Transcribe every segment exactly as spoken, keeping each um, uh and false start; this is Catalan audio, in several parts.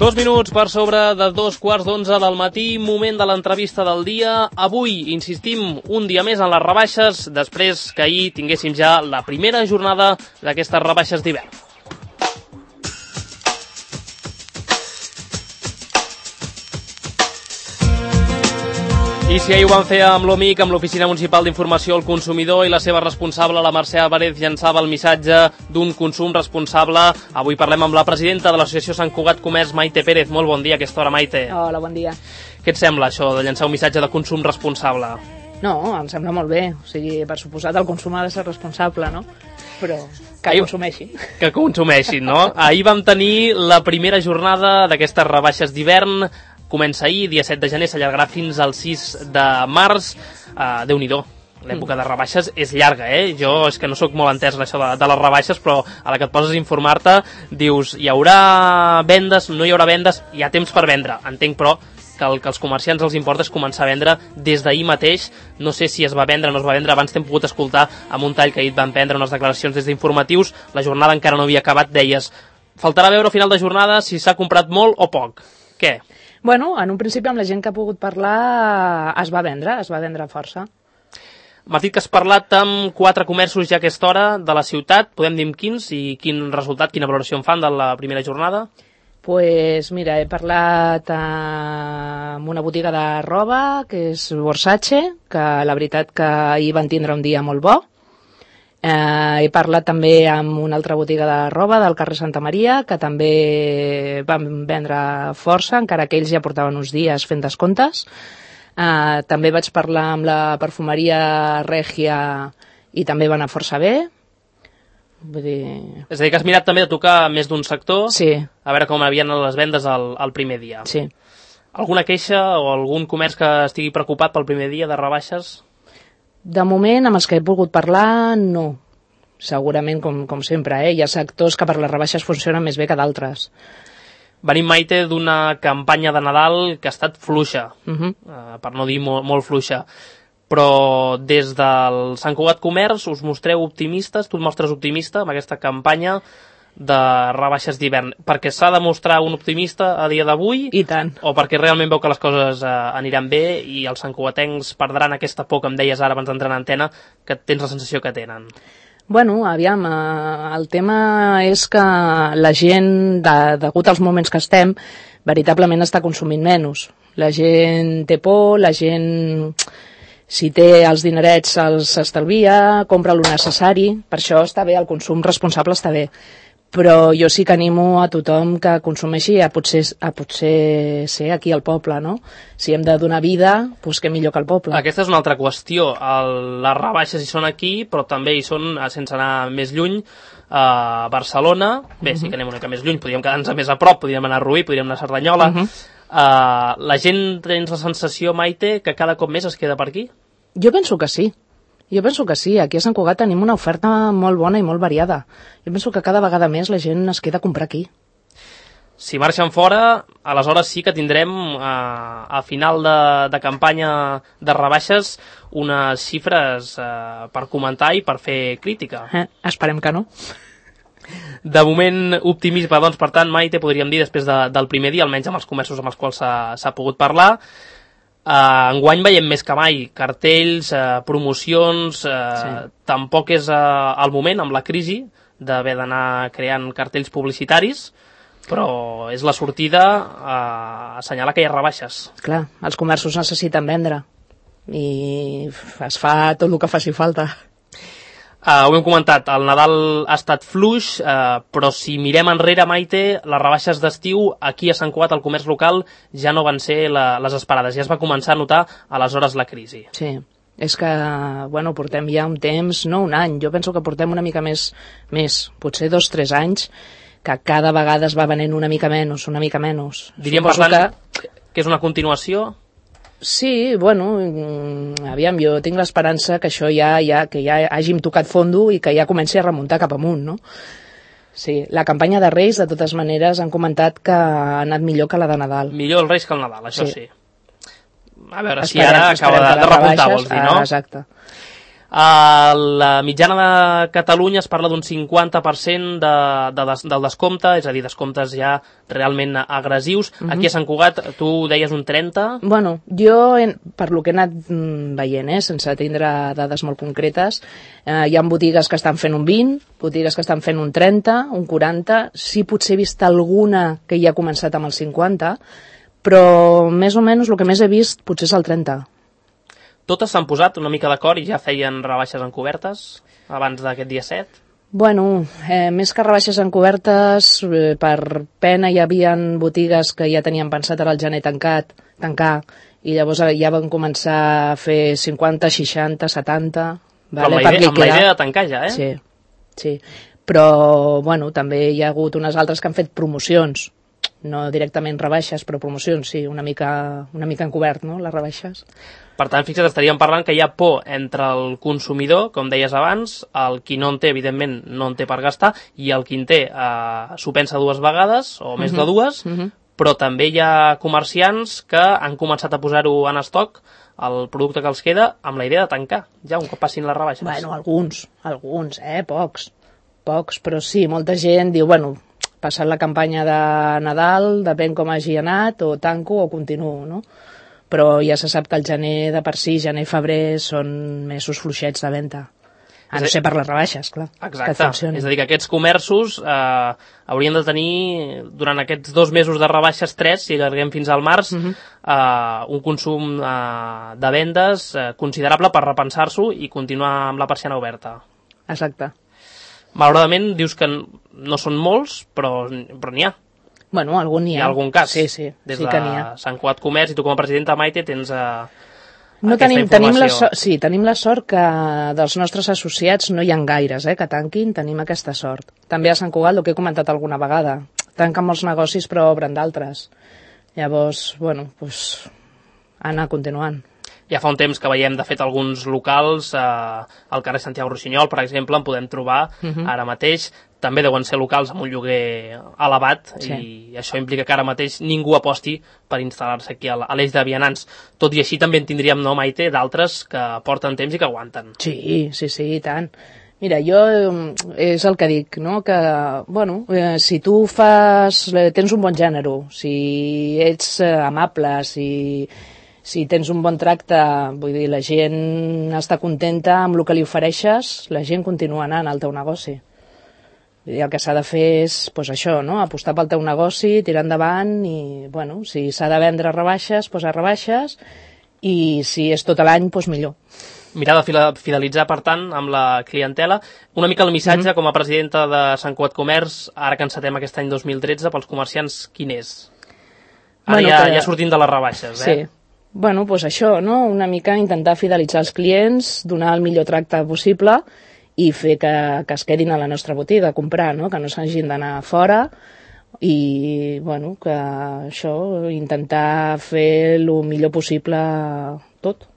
Dos minuts per sobre de dos quarts d'onze del matí, moment de l'entrevista del dia. Avui, insistim, un dia més en les rebaixes, després que ahir tinguéssim ja la primera jornada d'aquestes rebaixes d'hivern. I si ahir ho van fer amb l'O M I C, amb l'Oficina Municipal d'Informació al Consumidor, i la seva responsable, la Mercè Álvarez, llançava el missatge d'un consum responsable, avui parlem amb la presidenta de l'Associació Sant Cugat Comerç, Maite Pérez. Molt bon dia a aquesta hora, Maite. Hola, bon dia. Què et sembla, això, de llançar un missatge de consum responsable? No, em sembla molt bé. O sigui, per suposat, el consum ha de ser responsable, no? Però que Ahir... consumeixin. Que consumeixin, no? Ahir vam tenir la primera jornada d'aquestes rebaixes d'hivern. Comença ahir, dia set de gener, s'allargarà fins al sis de març. Uh, Déu-n'hi-do, l'època de rebaixes és llarga, eh? Jo és que no sóc molt entès en això de, de les rebaixes, però a la que et poses a informar-te, dius, hi haurà vendes, no hi haurà vendes, hi ha temps per vendre. Entenc, però, que el que als comerciants els importa és començar a vendre des d'ahir mateix. No sé si es va vendre o no es va vendre, abans t'hem pogut escoltar amb un tall que ahir van prendre unes declaracions des d'informatius, la jornada encara no havia acabat, deies, faltarà veure al final de jornada si s'ha comprat molt o poc. Què? Bueno, en un principi amb la gent que ha pogut parlar es va vendre, es va vendre força. M'has dit que has parlat amb quatre comerços ja a aquesta hora de la ciutat, podem dir amb quins i quin resultat, quina valoració en fan de la primera jornada? Pues mira, he parlat amb una botiga de roba, que és Versace, que la veritat que ahir van tindre un dia molt bo. Eh, he parlat també amb una altra botiga de roba del carrer Santa Maria, que també van vendre força, encara que ells ja portaven uns dies fent descomptes. Eh, també vaig parlar amb la perfumeria Regia i també va anar força bé. Vull dir... És a dir, que has mirat també de tocar més d'un sector, sí. A veure com havien les vendes el, el primer dia. Sí. Alguna queixa o algun comerç que estigui preocupat pel primer dia de rebaixes? De moment, amb els que he pogut parlar, no. Segurament, com, com sempre, eh? Hi ha sectors que per les rebaixes funcionen més bé que d'altres. Venim, Maite, d'una campanya de Nadal que ha estat fluixa, uh-huh. uh, per no dir molt, molt fluixa. Però des del Sant Cugat Comerç us mostreu optimistes, tu et mostres optimista amb aquesta campanya de rebaixes d'hivern, perquè s'ha de mostrar un optimista a dia d'avui? I tant. O perquè realment veu que les coses eh, aniran bé i els santcugatencs perdran aquesta por que em deies ara abans d'entrar en antena, que tens la sensació que tenen? Bueno, aviam, eh, el tema és que la gent, de, degut als moments que estem, veritablement està consumint menys. La gent té por, la gent, si té els dinerets se'ls estalvia, compra el necessari, per això està bé, el consum responsable està bé. Però jo sí que animo a tothom que consumeixi a potser, a potser ser aquí al poble, no? Si hem de donar vida, doncs què millor que al poble. Aquesta és una altra qüestió. El, les rebaixes hi són aquí, però també hi són, sense anar més lluny, a Barcelona. Bé, uh-huh. Sí que anem una mica més lluny, podríem quedar-nos més a prop, podríem anar a Rubí, podríem anar a Cerdanyola. Uh-huh. uh, la gent tens la sensació, Maite, que cada cop més es queda per aquí? Jo penso que sí. Jo penso que sí, aquí a Sant Cugat tenim una oferta molt bona i molt variada. Jo penso que cada vegada més la gent es queda a comprar aquí. Si marxen fora, aleshores sí que tindrem a, a final de, de campanya de rebaixes unes xifres eh, per comentar i per fer crítica. Eh, esperem que no. De moment, optimisme, doncs, per tant, Maite, podríem dir, després de, del primer dia, almenys amb els comerços amb els quals s'ha pogut parlar. Uh, enguany veiem més que mai cartells, uh, promocions, uh, sí. Tampoc és uh, el moment, amb la crisi, d'haver d'anar creant cartells publicitaris, però és la sortida a assenyalar que hi ha rebaixes. Clar, els comerços necessiten vendre i es fa tot el que faci falta. Uh, ho hem comentat, el Nadal ha estat fluix, uh, però si mirem enrere, Maite, les rebaixes d'estiu aquí a Sant Cugat, al comerç local, ja no van ser la, les esperades, ja es va començar a notar aleshores la crisi. Sí, és que, bueno, portem ja un temps, no un any, jo penso que portem una mica més, més potser dos, tres anys, que cada vegada es va venent una mica menys, una mica menys. Diríem, per tant, que... que és una continuació? Sí, bueno, aviam, jo tinc l'esperança que això ja, ja, que ja hàgim tocat fondo i que ja comenci a remuntar cap amunt, no? Sí, la campanya de Reis, de totes maneres, han comentat que ha anat millor que la de Nadal. Millor els Reis que el Nadal, això sí. sí. A veure, esperem, si ara acaba de, de repuntar, vols dir, no? Ah, exacte. A la mitjana de Catalunya es parla d'un cinquanta per cent de, de des, del descompte, és a dir, descomptes ja realment agressius. Uh-huh. Aquí a Sant Cugat tu deies un trenta? Bueno, jo, en, per lo que he anat veient, eh, sense tindre dades molt concretes, eh, hi ha botigues que estan fent un vint, botigues que estan fent un trenta, un quaranta, sí potser he vist alguna que ja ha començat amb el cinquanta, però més o menys el que més he vist potser és el trenta. Totes s'han posat una mica d'acord i ja feien rebaixes encobertes abans d'aquest dia set? Bueno, eh, més que rebaixes encobertes, eh, per pena hi havia botigues que ja tenien pensat ara al gener tancat, tancar, i llavors ja van començar a fer cinquanta, seixanta, setanta... Però vale, amb, la idea, amb la idea de tancar ja, eh? Sí, sí. Però, bueno, també hi ha hagut unes altres que han fet promocions, no directament rebaixes, però promocions, sí, una mica, una mica encobert, no?, les rebaixes. Per tant, fixa't, estaríem parlant que hi ha por entre el consumidor, com deies abans, el qui no en té, evidentment, no en té per gastar, i el qui en té eh, s'ho pensa dues vegades, o més uh-huh. de dues, uh-huh. però també hi ha comerciants que han començat a posar-ho en estoc, el producte que els queda, amb la idea de tancar, ja un cop passin les rebaixes. Bueno, alguns, alguns, eh, pocs, pocs, però sí, molta gent diu, bueno, passat la campanya de Nadal, depèn com hagi anat, o tanco o continuo, no? Però ja se sap que el gener de per si, gener i febrer, són mesos fluixets de venda. A no ser per les rebaixes, clar. Exacte, és a dir, que aquests comerços eh, haurien de tenir, durant aquests dos mesos de rebaixes, tres, si allarguem fins al març, uh-huh. eh, un consum eh, de vendes eh, considerable per repensar-s'ho i continuar amb la persiana oberta. Exacte. Malauradament, dius que no són molts, però, però n'hi ha. Bueno, algun n'hi ha. Hi ha algun cas. Sí, sí, Des sí que n'hi ha. de Sant Cugat Comerç, i tu com a presidenta, Maite, tens eh, no aquesta tenim, informació. Tenim la so- sí, tenim la sort que dels nostres associats no hi ha gaires, eh, que tanquin, tenim aquesta sort. També a Sant Cugat, el que he comentat alguna vegada, tanquen molts negocis però obren d'altres. Llavors, bueno, pues, anar continuant. Ja fa un temps que veiem, de fet, alguns locals, eh, al carrer Santiago Rossinyol, per exemple, en podem trobar uh-huh. ara mateix. També deuen ser locals amb un lloguer elevat, sí. I això implica que ara mateix ningú aposti per instal·lar-se aquí a l'eix de vianants. Tot i així també en tindríem, no, Maite, d'altres que porten temps i que aguanten. Sí, sí, sí, i tant. Mira, jo és el que dic, no?, que, bueno, eh, si tu fas, tens un bon gènere, si ets eh, amable, si... Si tens un bon tracte, vull dir, la gent està contenta amb el que li ofereixes, la gent continua anant al teu negoci. I el que s'ha de fer és, doncs això, no?, apostar pel teu negoci, tirar endavant i, bueno, si s'ha de vendre rebaixes, doncs a rebaixes, i si és tot l'any, doncs millor. Mirar de fidelitzar, per tant, amb la clientela. Una mica el missatge, mm-hmm. com a presidenta de Sant Cugat Comerç, ara que encetem aquest any dos mil tretze, pels comerciants, quin és? Ara bueno, ja, que... ja sortint de les rebaixes, eh? Sí. Bueno, doncs això, no? Una mica intentar fidelitzar els clients, donar el millor tracte possible i fer que, que es quedin a la nostra botiga a comprar, no? Que no s'hagin d'anar fora i, bueno, que això, intentar fer el millor possible tot.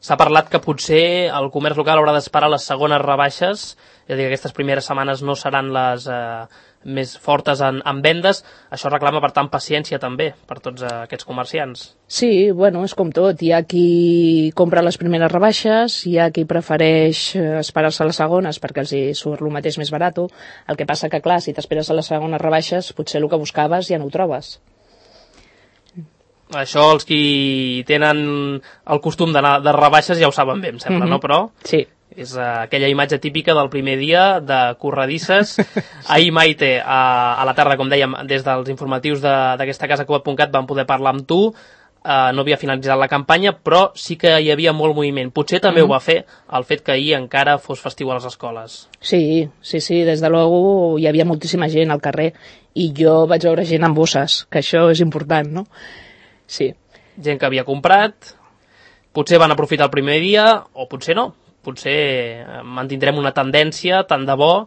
S'ha parlat que potser el comerç local haurà d'esperar les segones rebaixes, és a dir, que aquestes primeres setmanes no seran les eh, més fortes en, en vendes. Això reclama, per tant, paciència també per tots eh, aquests comerciants. Sí, bueno, és com tot. Hi ha qui compra les primeres rebaixes, hi ha qui prefereix esperar-se a les segones perquè els hi surt el mateix més barat. El que passa que, clar, si t'esperes a les segones rebaixes, potser el que buscaves ja no ho trobes. Això els qui tenen el costum d'anar de rebaixes ja ho saben bé, em sembla, mm-hmm. no? Però sí. És uh, aquella imatge típica del primer dia de corredisses. Ahir, Maite, a, a la tarda, com dèiem, des dels informatius d'aquesta casa Cugat punt cat vam poder parlar amb tu. Uh, no havia finalitzat la campanya, però sí que hi havia molt moviment. Potser també mm-hmm. ho va fer el fet que ahir encara fos festiu a les escoles. Sí, sí, sí, des de luego hi havia moltíssima gent al carrer i jo vaig veure gent amb bosses, que això és important, no? Sí. Gent que havia comprat, potser van aprofitar el primer dia, o potser no. Potser mantindrem una tendència tant de bo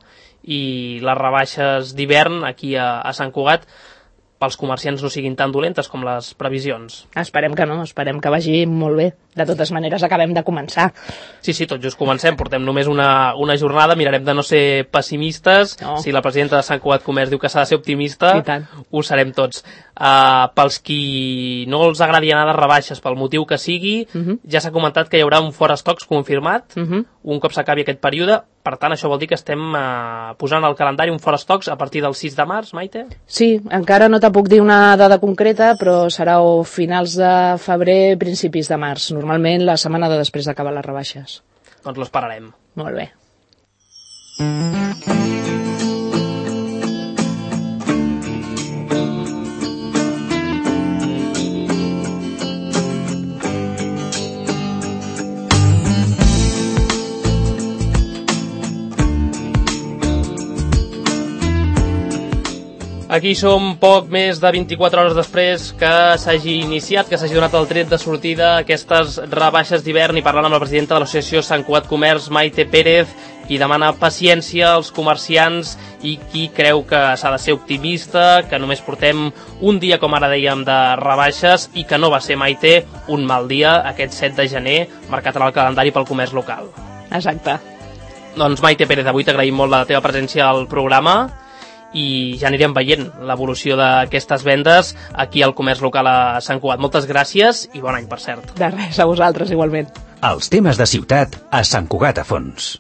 i les rebaixes d'hivern aquí a, a Sant Cugat pels comerciants no siguin tan dolentes com les previsions. Esperem que no, esperem que vagi molt bé. De totes maneres, acabem de començar. Sí, sí, tot just comencem, portem només una, una jornada, mirarem de no ser pessimistes, no. Si la presidenta de Sant Cugat Comerç diu que s'ha de ser optimista, ho serem tots. Uh, pels qui no els agradi anar de rebaixes, pel motiu que sigui, uh -huh. ja s'ha comentat que hi haurà un fora stocks confirmat, uh -huh. un cop s'acabi aquest període, per tant, això vol dir que estem uh, posant al calendari un fora stocks a partir del sis de març, Maite? Sí, encara no te puc dir una data concreta, però serà o finals de febrer, principis de març, normalment la setmana de després d'acabar les rebaixes. Doncs l'esperarem. Molt bé. Aquí som poc més de vint-i-quatre hores després que s'hagi iniciat, que s'hagi donat el tret de sortida aquestes rebaixes d'hivern, i parlant amb la presidenta de l'associació Sant Cugat Comerç, Maite Pérez, qui demana paciència als comerciants i qui creu que s'ha de ser optimista, que només portem un dia, com ara dèiem, de rebaixes i que no va ser, Maite, un mal dia aquest set de gener, marcat en el calendari pel comerç local. Exacte. Doncs Maite Pérez, avui t'agraïm molt la teva presència al programa i ja anirem veient l'evolució d'aquestes vendes aquí al comerç local a Sant Cugat. Moltes gràcies i bon any, per cert. De res, a vosaltres igualment. Els temes de ciutat a Sant Cugat a fons.